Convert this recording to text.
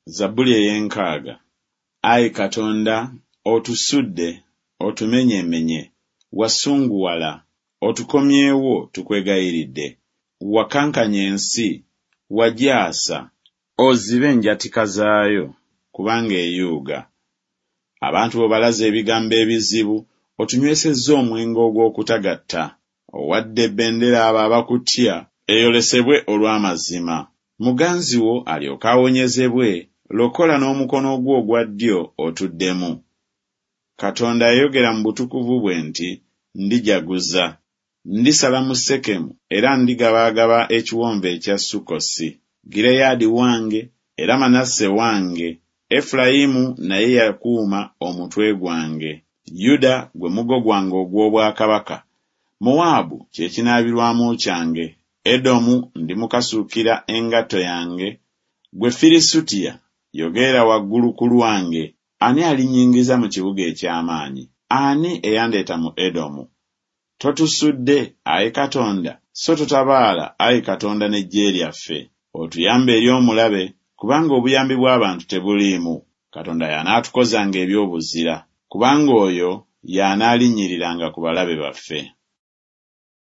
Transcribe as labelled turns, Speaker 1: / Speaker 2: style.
Speaker 1: Zabbuli ey'enkaaga. Ayi Katonda, otusudde, otumenyeemenye, wasunguwala, otukomyewo, tukwegayiridde. Wakankanya ensi, wagyasa. Ozibe enjatika zaayo, kubanga eyuuga. Abantu bo obalaze ebigambo ebizibu, otunywesezza omwenge ogw'okutagatta. Owadde ebendera abo abakutya, eyolesebwe olw'amazima. Muganzi wo alyoke awonyezebwe, lokola n'omukono gwo ogwa ddyo otuddemu. Katonda yayogera mu butukuvu bwe nti Ndijaguza, ndisala mu Sekemu, era ndigabaagaba ekiwonvu ekya Sukkosi. Gireyaadi wange, era Manase wange, Efulayimu naye yakuuma omutwe gwange, Yuda gwe muggo gwange ogw'obwakabaka. Mowaabu kye kinaabirwamu kyange, Edomu ndimukasuukira engatto yange, Ggwe Firisutiya, yogerera waggulu ku lwange. Ani alinnyingiza mu kibuga eky'amaanyi? Ani eyandeeta mu Edomu? Totusudde, ai Katonda? So totabaala, ai Katonda, n'eggye lyaffe? Otuyambe eri omulabe, kubanga obuyambi bw'abantu tebuliimu. Katonda y'anaatukozanga eby'obuzira, kubanga oyo y'anaalinnyiriranga ku balabe baffe.